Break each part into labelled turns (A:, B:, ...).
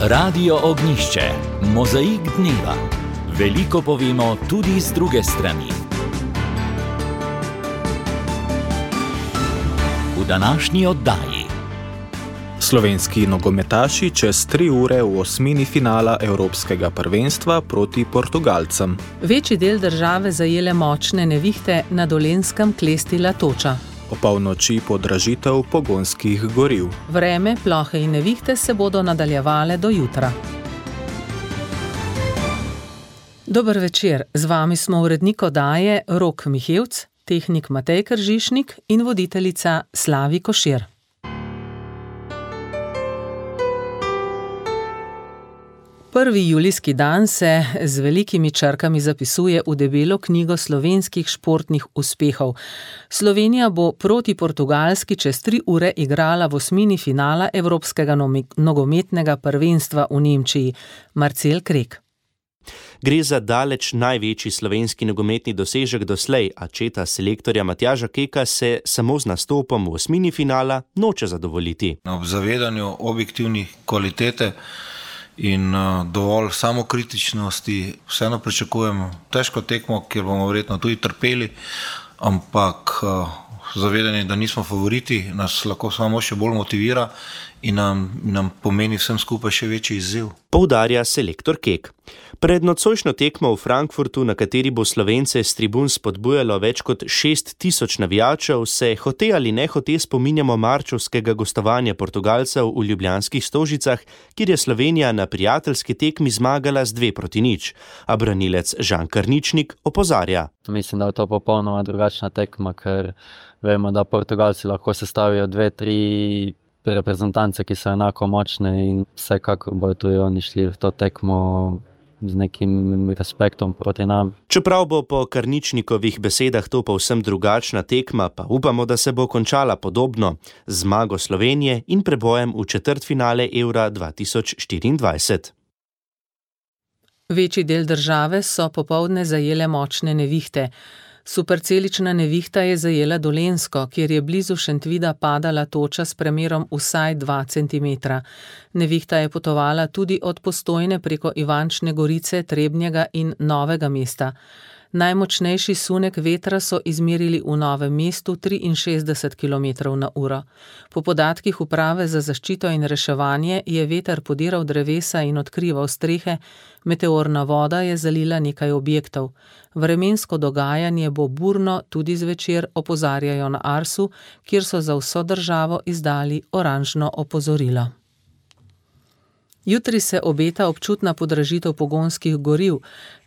A: Radio Ognjišče, mozaik dneva. Veliko povemo tudi z druge strani. V današnji oddaji.
B: Slovenski nogometaši čez 3 ure v osmini finala Evropskega prvenstva proti Portugalcem.
C: Večji del države zajele močne nevihte, na Dolenjskem klestila toča.
B: Opolnoči podražitev pogonskih goriv.
C: Vreme, plohe in nevihte se bodo nadaljevale do jutra. Dober večer, z vami smo urednik oddaje Rok Mihevc, tehnik Matej Kržišnik in voditeljica Slavi Košir. Prvi julijski dan se z velikimi črkami zapisuje v debelo knjigo slovenskih športnih uspehov. Slovenija bo proti Portugalski čez 3 ure igrala v osmini finala Evropskega nogometnega prvenstva v Nemčiji. Marcel Krek.
D: Gre za daleč največji slovenski nogometni dosežek doslej, a četa selektorja Matjaža Keka se samo z nastopom v osmini finala noče zadovoljiti.
E: Ob zavedanju objektivnih kvalitete in dovolj samokritičnosti vseeno pričakujemo težko tekmo, kjer bomo verjetno tudi trpeli, ampak zavedanje, da nismo favoriti, nas lahko samo še bolj motivira in nam pomeni vsem skupaj še večji izziv.
D: Poudarja selektor Kek. Pred nocojšnjo tekmo v Frankfurtu, na kateri bo Slovence s tribun spodbujalo več kot 6.000 navijačev, se hote ali nehote spominjamo marčevskega gostovanja Portugalcev v ljubljanskih Stožicah, kjer je Slovenija na prijateljski tekmi zmagala z 2-0, a branilec Žan Karničnik opozarja.
F: Mislim, da je to popolnoma drugačna tekma, ker vemo, da Portugalci lahko sestavijo 2-3 reprezentance, ki so enako močne in vsekakor bodo tudi oni šli v to tekmo z nekim respektom proti nam.
D: Čeprav bo po Karničnikovih besedah to povsem drugačna tekma, pa upamo, da se bo končala podobno, z zmago Slovenije in prebojem v četrtfinale Eura 2024.
C: Večji del države so popoldne zajele močne nevihte. Supercelična nevihta je zajela Dolenjsko, kjer je blizu Šentvida padala toča s premerom vsaj 2 cm. Nevihta je potovala tudi od Postojne preko Ivančne Gorice, Trebnjega in Novega mesta. Najmočnejši sunek vetra so izmerili v Novem mestu 63 km/h. Po podatkih Uprave za zaščito in reševanje je veter podiral drevesa in odkrival strehe, meteorna voda je zalila nekaj objektov. Vremensko dogajanje bo burno tudi zvečer, opozarjajo na Arsu, kjer so za vso državo izdali oranžno opozorilo. Jutri se obeta občutna podražitev pogonskih goriv.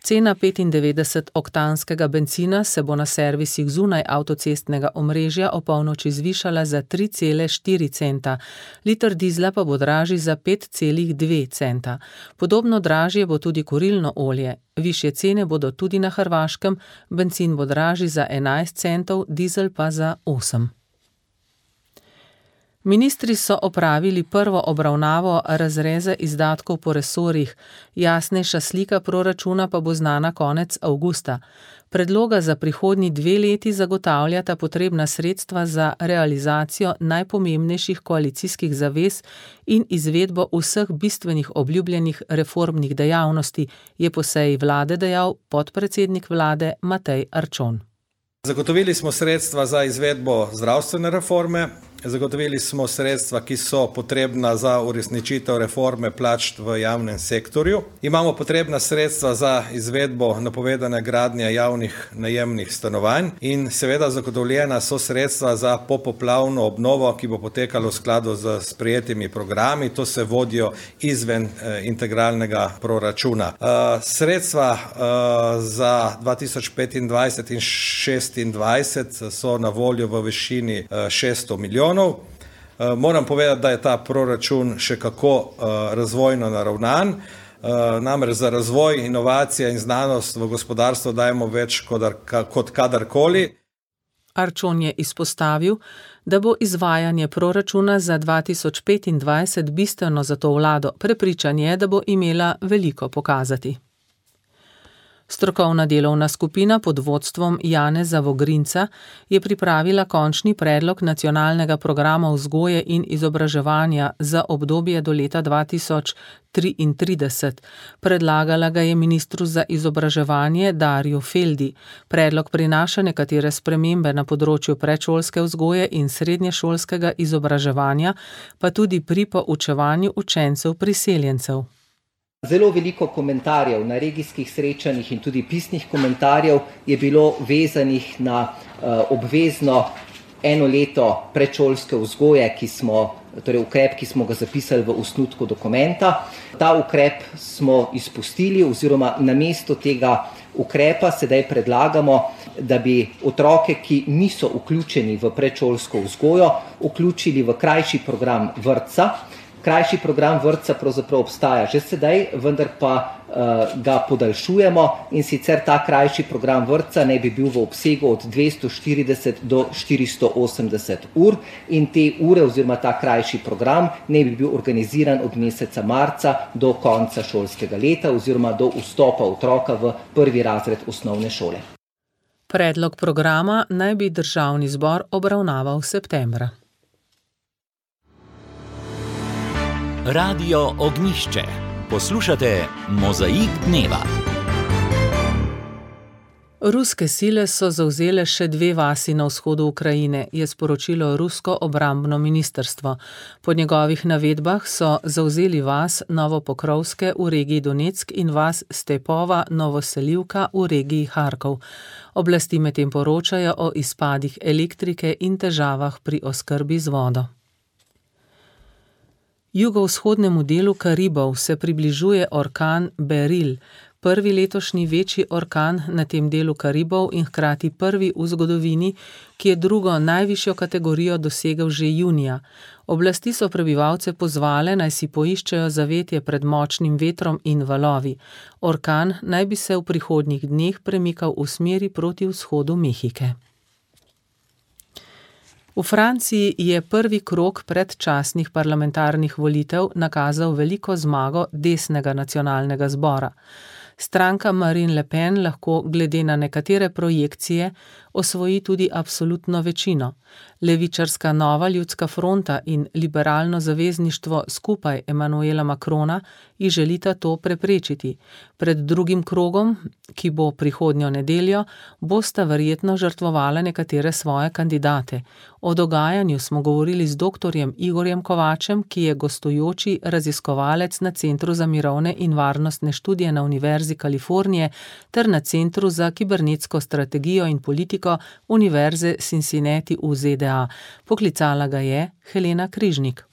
C: Cena 95-oktanskega bencina se bo na servisih zunaj avtocestnega omrežja opolnoči zvišala za 3,4 centa, liter dizla pa bo dražji za 5,2 centa. Podobno dražje bo tudi kurilno olje. Višje cene bodo tudi na Hrvaškem, bencin bo dražji za 11 centov, dizel pa za 8. Ministri so opravili prvo obravnavo razreza izdatkov po resorjih, jasnejša slika proračuna pa bo znana konec avgusta. Predloga za prihodnji 2 leti zagotavljata potrebna sredstva za realizacijo najpomembnejših koalicijskih zavez in izvedbo vseh bistvenih obljubljenih reformnih dejavnosti, je po seji vlade dejal podpredsednik vlade Matej Arčon.
G: Zagotovili smo sredstva za izvedbo zdravstvene reforme, zagotovili smo sredstva, ki so potrebna za uresničitev reforme plač v javnem sektorju. Imamo potrebna sredstva za izvedbo napovedane gradnje javnih najemnih stanovanj in seveda zagotovljena so sredstva za popoplavno obnovo, ki bo potekalo v skladu z sprejetimi programi. To se vodijo izven integralnega proračuna. Sredstva za 2025 in 2026 so na voljo v višini 600 milijonov. Moram povedati, da je ta proračun še kako razvojno naravnan. Namreč za razvoj, inovacije in znanost v gospodarstvo dajemo več kot kadarkoli.
C: Arčon je izpostavil, da bo izvajanje proračuna za 2025 bistveno za to vlado. Prepričan je, da bo imela veliko pokazati. Strokovna delovna skupina pod vodstvom Janeza Vogrinca je pripravila končni predlog nacionalnega programa vzgoje in izobraževanja za obdobje do leta 2033. Predlagala ga je ministru za izobraževanje Darju Feldi. Predlog prinaša nekatere spremembe na področju predšolske vzgoje in srednješolskega izobraževanja, pa tudi pri poučevanju učencev priseljencev.
H: Zelo veliko komentarjev na regijskih srečanjih in tudi pisnih komentarjev je bilo vezanih na obvezno 1 leto predšolske vzgoje, torej ukrep, ki smo ga zapisali v osnutku dokumenta. Ta ukrep smo izpustili oziroma namesto tega ukrepa sedaj predlagamo, da bi otroke, ki niso vključeni v predšolsko vzgojo, vključili v krajši program vrtca. Krajši program vrtca pravzaprav obstaja že sedaj, vendar pa ga podaljšujemo, in sicer ta krajši program vrtca naj bi bil v obsegu od 240 do 480 ur in te ure oziroma ta krajši program naj bi bil organiziran od meseca marca do konca šolskega leta oziroma do vstopa otroka v 1. razred osnovne šole.
C: Predlog programa naj bi Državni zbor obravnaval septembra.
A: Radio Ognjišče. Poslušate Mozaik dneva.
C: Ruske sile so zavzele še 2 vasi na vzhodu Ukrajine, je sporočilo rusko obrambno ministrstvo. Po njegovih navedbah so zavzeli vas Novopokrovske v regiji Donetsk in vas Stepova Novoselivka v regiji Harkov. Oblasti medtem poročajo o izpadih elektrike in težavah pri oskrbi z vodo. Jugovzhodnemu delu Karibov se približuje orkan Beryl, prvi letošnji večji orkan na tem delu Karibov in hkrati prvi v zgodovini, ki je drugo najvišjo kategorijo dosegel že junija. Oblasti so prebivalce pozvale, naj si poiščejo zavetje pred močnim vetrom in valovi. Orkan naj bi se v prihodnjih dneh premikal v smeri proti vzhodu Mehike. V Franciji je prvi krog predčasnih parlamentarnih volitev nakazal veliko zmago desnega nacionalnega zbora. Stranka Marine Le Pen lahko glede na nekatere projekcije osvoji tudi absolutno večino. Levičarska Nova ljudska fronta in liberalno zavezništvo skupaj Emmanuela Macrona ji želita to preprečiti. Pred drugim krogom, ki bo prihodnjo nedeljo, bosta verjetno žrtvovala nekatere svoje kandidate. O dogajanju smo govorili z doktorjem Igorjem Kovačem, ki je gostujoči raziskovalec na Centru za mirovne in varnostne študije na Univerzi Kalifornije ter na Centru za kibernetsko strategijo in politiko Univerze Cincinnati v ZDA. Poklicala ga je Helena Križnik.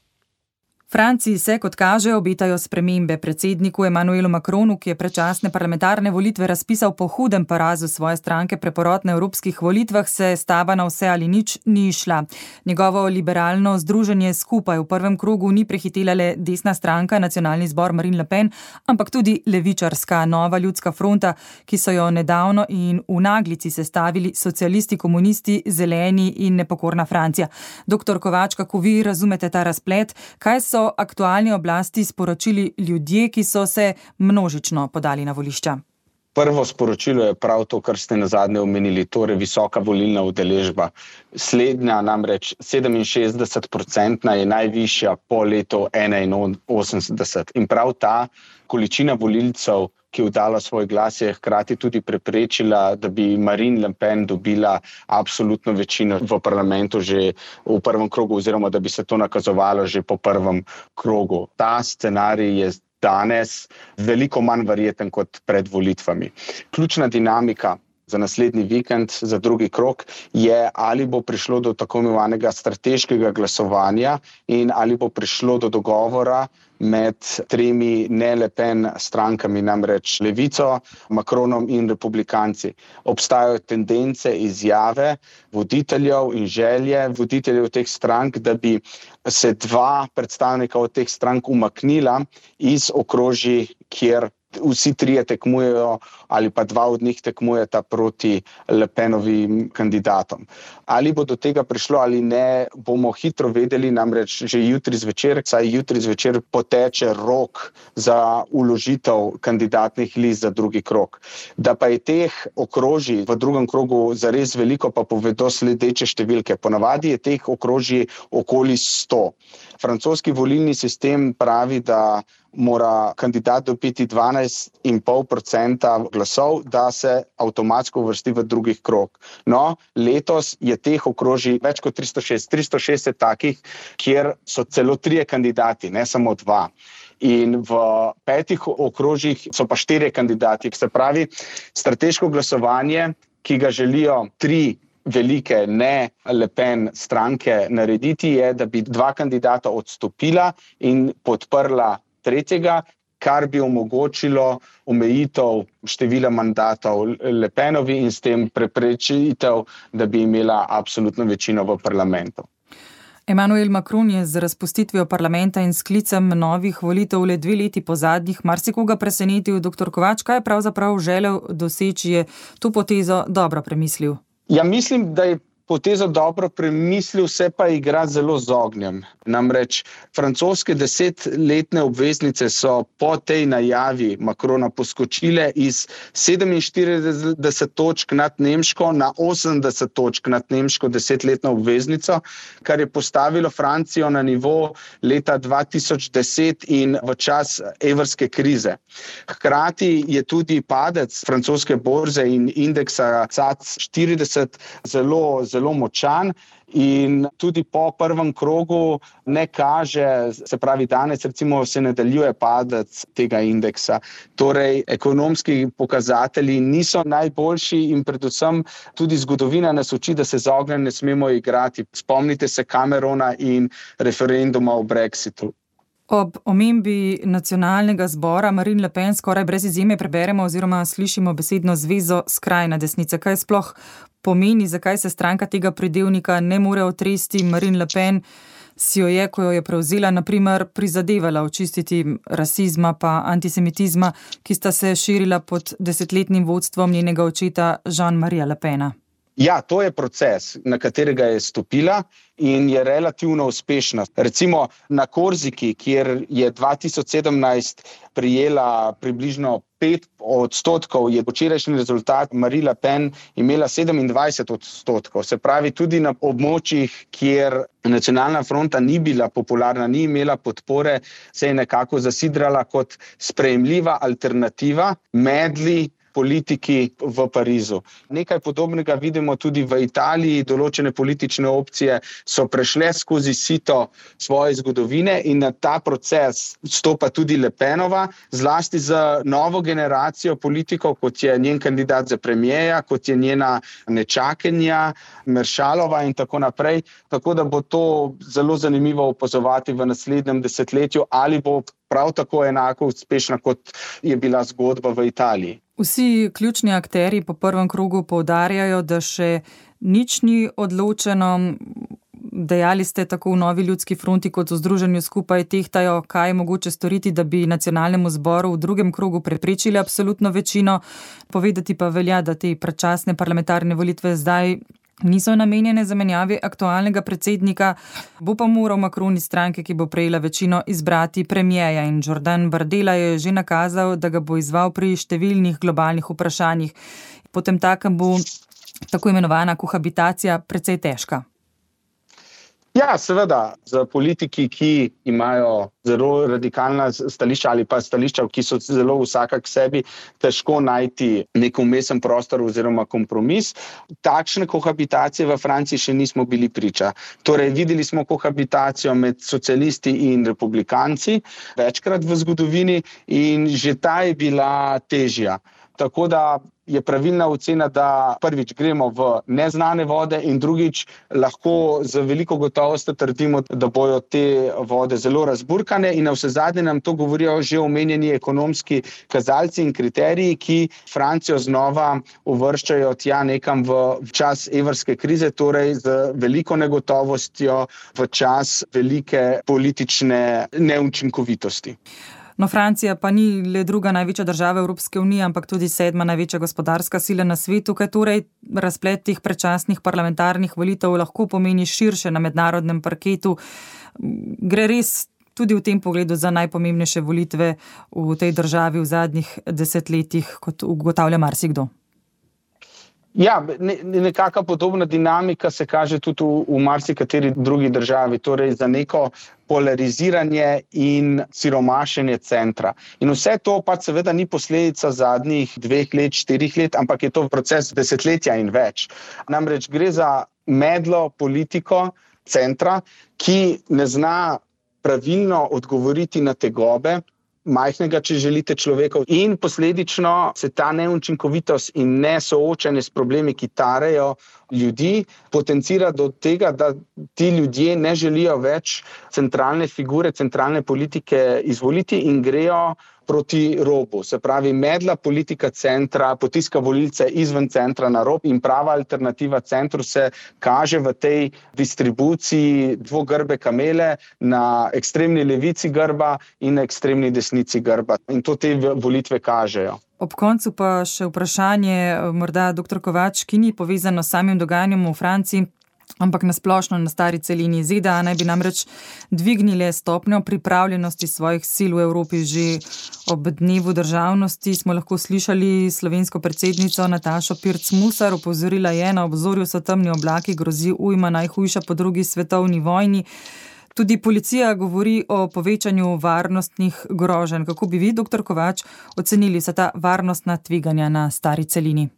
I: Franciji se, kot kaže, obetajo spremembe. Predsedniku Emmanuelu Macronu, ki je predčasne parlamentarne volitve razpisal po hudem porazu svoje stranke preporod na evropskih volitvah, se stava na vse ali nič ni išla. Njegovo liberalno združenje skupaj v prvem krogu ni prehitela le desna stranka, nacionalni zbor Marine Le Pen, ampak tudi levičarska Nova ljudska fronta, ki so jo nedavno in v naglici sestavili socialisti, komunisti, zeleni in nepokorna Francija. Doktor Kovač, kako vi razumete ta razplet? Kaj so aktualni oblasti sporočili ljudje, ki so se množično podali na volišča?
J: Prvo sporočilo je prav to, kar ste nazadnje omenili, torej visoka volilna udeležba. Slednja, namreč 67% je najvišja po letu 1981. In prav ta količina volilcev, ki je oddala svoj glas, je hkrati tudi preprečila, da bi Marine Le Pen dobila absolutno večino v parlamentu že v prvem krogu, oziroma da bi se to nakazovalo že po prvem krogu. Ta scenarij je danes veliko manj verjeten kot pred volitvami. Ključna dinamika za naslednji vikend, za drugi krog, je, ali bo prišlo do tako imenovanega strateškega glasovanja in ali bo prišlo do dogovora med 3 ne-Le Pen strankami, namreč Levico, Macronom in republikanci. Obstajajo tendence, izjave voditeljev in želje voditeljev teh strank, da bi se 2 predstavnika od teh strank umaknila iz okrožij, kjer vsi trije tekmujejo ali pa dva od njih tekmujeta proti Le Penovim kandidatom. Ali bo do tega prišlo ali ne, bomo hitro vedeli, namreč že jutri zvečer poteče rok za vložitev kandidatnih list za drugi krog. Da pa je teh okrožij v drugem krogu zares veliko, pa povedo sledeče številke. Ponavadi je teh okrožij okoli 100. Francoski volilni sistem pravi, da mora kandidat dobiti 12,5% glasov, da se avtomatsko uvrsti v drugi krog. No, letos je teh okrožij več kot 306. 306 je takih, kjer so celo 3 kandidati, ne samo 2. In v 5 okrožjih so pa 4 kandidati. Se pravi, strateško glasovanje, ki ga želijo 3 velike ne Le Pen stranke narediti, je, da bi 2 kandidata odstopila in podprla tretjega, kar bi omogočilo omejitev števila mandatov Le Penovi in s tem preprečitev, da bi imela absolutno večino v parlamentu.
I: Emmanuel Macron je z razpustitvijo parlamenta in sklicem novih volitev le 2 leti po zadnjih marsikoga presenetil. Dr. Kovač, kaj je pravzaprav želel doseči, je to potezo dobro premislil?
J: Ja, mislim, da je potezo dobro premislil, se pa igra zelo z ognjem. Namreč francoske 10-letne obveznice so po tej najavi Macrona poskočile iz 47 točk nad Nemško na 80 točk nad Nemško 10-letno obveznico, kar je postavilo Francijo na nivo leta 2010 in v čas evrske krize. Hkrati je tudi padec francoske borze in indeksa CAC 40 zelo močan in tudi po prvem krogu ne kaže, se pravi danes recimo se nadaljuje padec tega indeksa. Torej, ekonomski pokazatelji niso najboljši in predvsem tudi zgodovina nas uči, da se z ognjem ne smemo igrati. Spomnite se Camerona in referenduma o Brexitu.
I: Ob omembi nacionalnega zbora Marine Le Pen skoraj brez izjeme preberemo oziroma slišimo besedno zvezo skrajna desnica. Kaj sploh pomeni, zakaj se stranka tega pridevnika ne more otresti? Marine Le Pen si jo je, ko jo je prevzela, na primer, prizadevala očistiti rasizma pa antisemitizma, ki sta se širila pod 10-letnim vodstvom njenega očeta Jean-Maria Le Pena.
J: Ja, to je proces, na katerega je stopila in je relativno uspešna. Recimo na Korziki, kjer je 2017 prijela približno 5%, je včerajšnji rezultat Marine Le Pen imela 27%. Se pravi, tudi na območjih, kjer nacionalna fronta ni bila popularna, ni imela podpore, se je nekako zasidrala kot sprejemljiva alternativa medli politiki v Parizu. Nekaj podobnega vidimo tudi v Italiji. Določene politične opcije so prešle skozi sito svoje zgodovine in na ta proces stopa tudi Le Penova, zlasti z novo generacijo politikov, kot je njen kandidat za premijeja, kot je njena nečakinja Meršalova in tako naprej. Tako da bo to zelo zanimivo opazovati v naslednjem desetletju, ali bo prav tako enako uspešna, kot je bila zgodba v Italiji.
I: Vsi ključni akterji po prvem krogu poudarjajo, da še nič ni odločeno. Dejali ste tako v Novi ljudski fronti kot v Združenju skupaj tehtajo, kaj je mogoče storiti, da bi nacionalnemu zboru v drugem krogu preprečili absolutno večino. Povedati pa velja, da te predčasne parlamentarne volitve zdaj niso namenjene zamenjavi aktualnega predsednika. Bo pa moral Macron iz stranke, ki bo prejela večino, izbrati premijeja in Jordan Bardella je že nakazal, da ga bo izval pri številnih globalnih vprašanjih. Potem takem bo tako imenovana kohabitacija precej težka.
J: Ja, seveda, za politiki, ki imajo zelo radikalna stališča ali pa stališča, ki so zelo vsaka k sebi, težko najti nek umesen prostor oziroma kompromis. Takšne kohabitacije v Franciji še nismo bili priča. Torej, videli smo kohabitacijo med socialisti in republikanci večkrat v zgodovini in že ta je bila težja. Tako da je pravilna ocena, da prvič gremo v neznane vode in drugič lahko z veliko gotovostjo trdimo, da bojo te vode zelo razburkane in navsezadnje nam to govorijo že omenjeni ekonomski kazalci in kriteriji, ki Francijo znova uvrščajo tja nekam v čas evrske krize, torej z veliko negotovostjo v čas velike politične neučinkovitosti.
I: No, Francija pa ni le druga največja država Evropske unije, ampak tudi 7. največja gospodarska sila na svetu, kaj torej razplet teh predčasnih parlamentarnih volitev lahko pomeni širše na mednarodnem parketu. Gre res tudi v tem pogledu za najpomembnejše volitve v tej državi v zadnjih desetletjih, kot ugotavlja marsikdo.
J: Ja, nekaka podobna dinamika se kaže tudi v marsikateri drugi državi, torej za neko polariziranje in siromašenje centra. In vse to pa seveda ni posledica zadnjih 2 let, 4 let, ampak je to proces desetletja in več. Namreč gre za medlo politiko centra, ki ne zna pravilno odgovoriti na tegobe majhnega, če želite, človekov, in posledično se ta neučinkovitost in nesoočanje s problemi, ki tarejo ljudi, potencira do tega, da ti ljudje ne želijo več centralne figure, centralne politike izvoliti in grejo proti robu. Se pravi, medla politika centra potiska volilce izven centra na rob in prava alternativa centru se kaže v tej distribuciji dvogrbe kamele na ekstremni levici grba in na ekstremni desnici grba. In to te volitve kažejo.
I: Ob koncu pa še vprašanje, morda dr. Kovač, ki ni povezano s samim dogajanjem v Franciji, ampak nasplošno na stari celini. ZDA naj bi namreč dvignile stopnjo pripravljenosti svojih sil v Evropi. Že ob dnevu državnosti smo lahko slišali slovensko predsednico Natašo Pirc Musar. Opozorila je, na obzorju so temni oblaki, grozi ujma najhujša po 2. svetovni vojni. Tudi policija govori o povečanju varnostnih groženj. Kako bi vi, dr. Kovač, ocenili vsa ta varnostna tveganja na stari celini?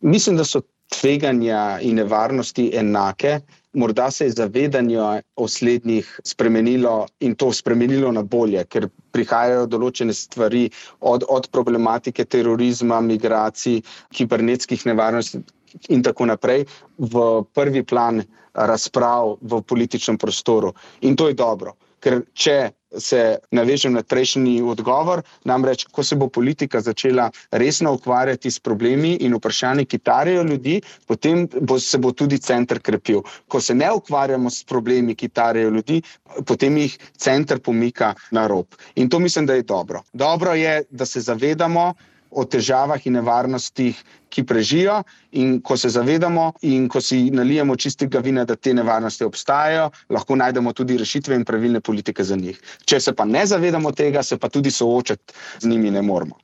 J: Mislim, da so tveganja in nevarnosti enake. Morda se je zavedanje o slednjih spremenilo in to spremenilo na bolje, ker prihajajo določene stvari od problematike terorizma, migracij, kibernetskih nevarnosti in tako naprej v prvi plan razprav v političnem prostoru. In to je dobro, ker če se navežem na prejšnji odgovor, namreč, ko se bo politika začela resno ukvarjati s problemi in vprašanji, ki tarejo ljudi, potem se bo tudi center krepil. Ko se ne ukvarjamo s problemi, ki tarejo ljudi, potem jih center pomika na rob. In to mislim, da je dobro. Dobro je, da se zavedamo o težavah in nevarnostih, ki prežijo, in ko se zavedamo in ko si nalijemo čistega vina, da te nevarnosti obstajajo, lahko najdemo tudi rešitve in pravilne politike za njih. Če se pa ne zavedamo tega, se pa tudi soočati z njimi ne moramo.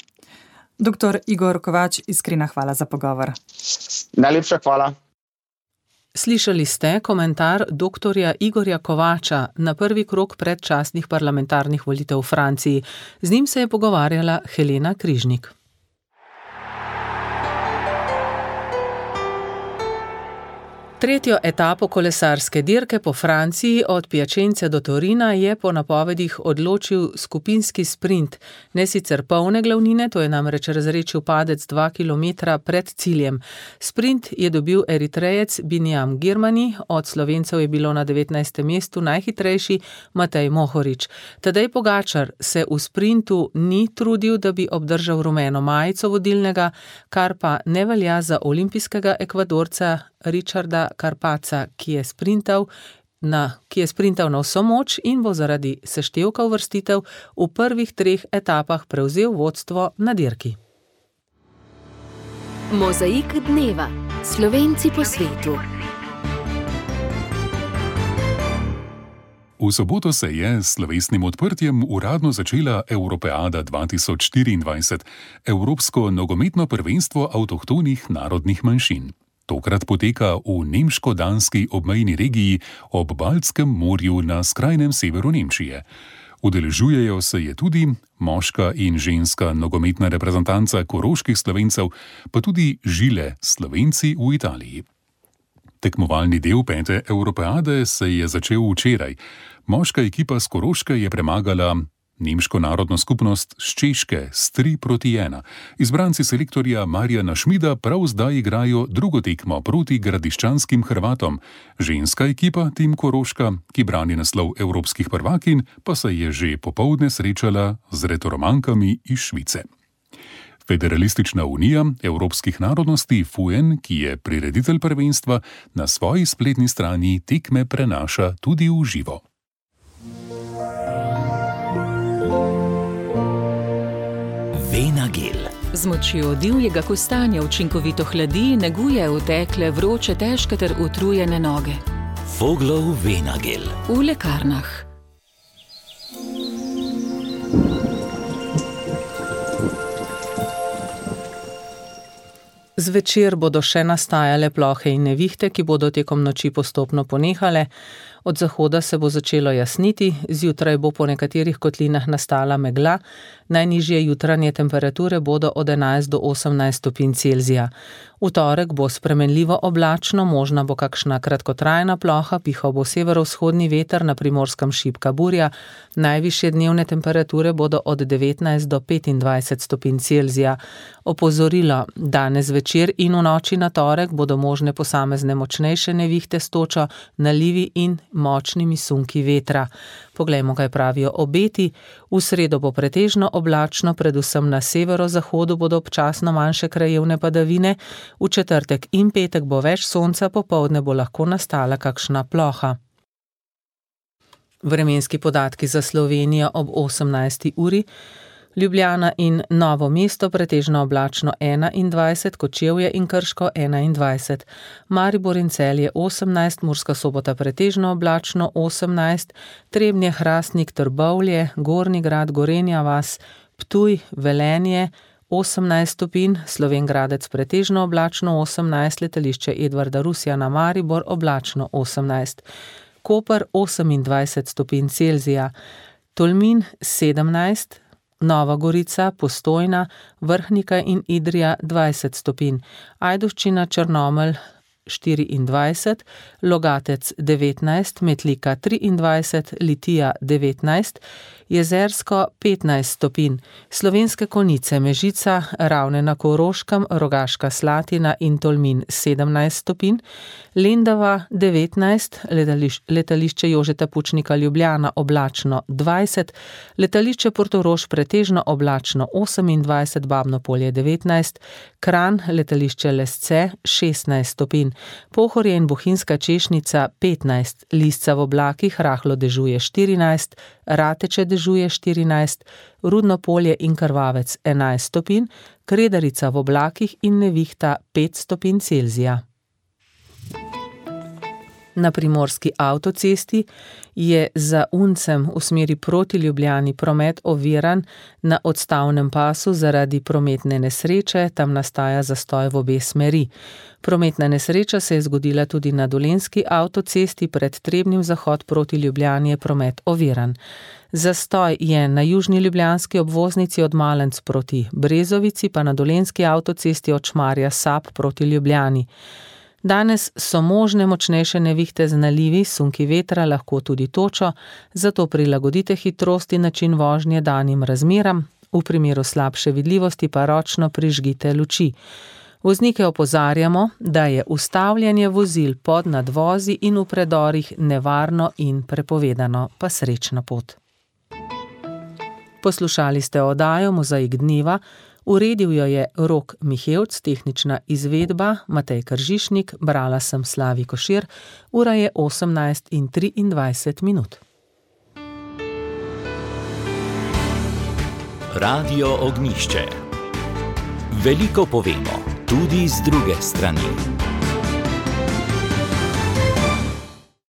I: Dr. Igor Kovač, iskrena hvala za pogovor.
J: Najlepša hvala.
C: Slišali ste komentar dr. Igorja Kovača na prvi krog predčasnih parlamentarnih volitev v Franciji. Z njim se je pogovarjala Helena Križnik. Tretjo etapo kolesarske dirke po Franciji od Piacence do Torina je po napovedih odločil skupinski sprint. Ne sicer polne glavnine, to je namreč razrečil padec 2 kilometra pred ciljem. Sprint je dobil Eritrejec Biniam Girmani, od Slovencev je bilo na 19. mestu najhitrejši Matej Mohorič. Tadej Pogačar se v sprintu ni trudil, da bi obdržal rumeno majico vodilnega, kar pa ne velja za olimpijskega Ekvadorca Richarda Carapazza, ki je sprintal na vso moč in bo zaradi seštevka uvrstitev v prvih 3 etapah prevzel vodstvo na dirki.
K: Mozaik dneva. Slovenci po svetu.
L: V soboto se je s slovesnim odprtjem uradno začela Europeada 2024, Evropsko nogometno prvenstvo avtohtonih narodnih manjšin. Tokrat poteka v nemško-danski obmejni regiji ob Baltskem morju na skrajnem severu Nemčije. Udeležujejo se je tudi moška in ženska nogometna reprezentanca koroških Slovencev, pa tudi žile Slovenci v Italiji. Tekmovalni del 5. Europeade se je začel včeraj. Moška ekipa s Koroške je premagala nemško narodno skupnost s Češke s 3-1. Izbranci selektorja Marjana Šmida prav zdaj igrajo drugo tekmo proti gradiščanskim Hrvatom. Ženska ekipa Tim Koroška, ki brani naslov evropskih prvakinj, pa se je že popoldne srečala z retoromankami iz Švice. Federalistična unija evropskih narodnosti FUEN, ki je prireditelj prvenstva, na svoji spletni strani tekme prenaša tudi v živo.
M: Z močjo divjega kostanja učinkovito hladi, neguje otekle, vroče, težke ter utrujene noge.
A: Voglov Venagel.
M: V lekarnah.
C: Zvečer bodo še nastajale plohe in nevihte, ki bodo tekom noči postopno ponehale. Od zahoda se bo začelo jasniti, zjutraj bo po nekaterih kotlinah nastala megla, najnižje jutranje temperature bodo od 11 do 18 stopinj Celzija. V torek bo spremenljivo oblačno, možna bo kakšna kratkotrajna ploha, pihal bo severovzhodni veter, na Primorskem šibka burja, najvišje dnevne temperature bodo od 19 do 25 stopinj Celzija. Opozorilo, danes večer in v noči na torek bodo možne posamezne močnejše nevihte s točo, nalivi in močnimi sunki vetra. Poglejmo, kaj pravijo obeti. V sredo bo pretežno oblačno, predvsem na severozahodu bodo občasno manjše krajevne padavine, v četrtek in petek bo več sonca, popoldne bo lahko nastala kakšna ploha. Vremenski podatki za Slovenijo ob 18. uri. Ljubljana in Novo mesto pretežno oblačno 21, Kočevje in Krško 21, Maribor in Celje 18, Murska Sobota pretežno oblačno 18, Trebnje, Hrastnik, Trbovlje, Gornji Grad, Gorenja vas, Ptuj, Velenje 18 stopinj, Slovenj Gradec pretežno oblačno 18, Letališče Edvarda Rusjana Maribor oblačno 18, Koper 28 stopinj Celzija, Tolmin 17, Nova Gorica, Postojna, Vrhnika in Idrija 20 stopinj, Ajdovščina, Črnomelj 24, Logatec 19, Metlika 23, Litija 19, Jezersko 15 stopinj, Slovenske Konjice, Mežica, Ravne na Koroškem, Rogaška Slatina in Tolmin 17 stopinj, Lendava 19, Letališče Jožeta Pučnika Ljubljana oblačno 20, Letališče Portorož pretežno oblačno 28, Babno Polje 19, Kranj, Letališče Lesce 16 stopinj, Pohorje in Bohinjska Češnica 15, Lisca v oblakih rahlo dežuje 14, Rateče dežuje 14, Rudno Polje in Krvavec 11 stopinj, Kredarica v oblakih in nevihta 5 stopinj Celzija. Na Primorski avtocesti je za Uncem v smeri proti Ljubljani promet oviran na odstavnem pasu zaradi prometne nesreče, tam nastaja zastoj v obe smeri. Prometna nesreča se je zgodila tudi na Dolenjski avtocesti, pred Trebnjem zahod proti Ljubljani je promet oviran. Zastoj je na južni ljubljanski obvoznici od Malenc proti Brezovici, pa na Dolenjski avtocesti od Šmarja Sap proti Ljubljani. Danes so možne močnejše nevihte z nalivi, sunki vetra, lahko tudi točo, zato prilagodite hitrost in način vožnje danim razmeram, v primeru slabše vidljivosti pa ročno prižgite luči. Voznike opozarjamo, da je ustavljanje vozil pod nadvozi in v predorih nevarno in prepovedano, pa srečna pot. Poslušali ste oddajo Mozaik dneva, uredil jo je Rok Mihevc, tehnična izvedba Matej Kržišnik, brala sem Slavi Košir, ura je 18:23.
A: Radio Ognjišče. Veliko povemo, tudi z druge strani.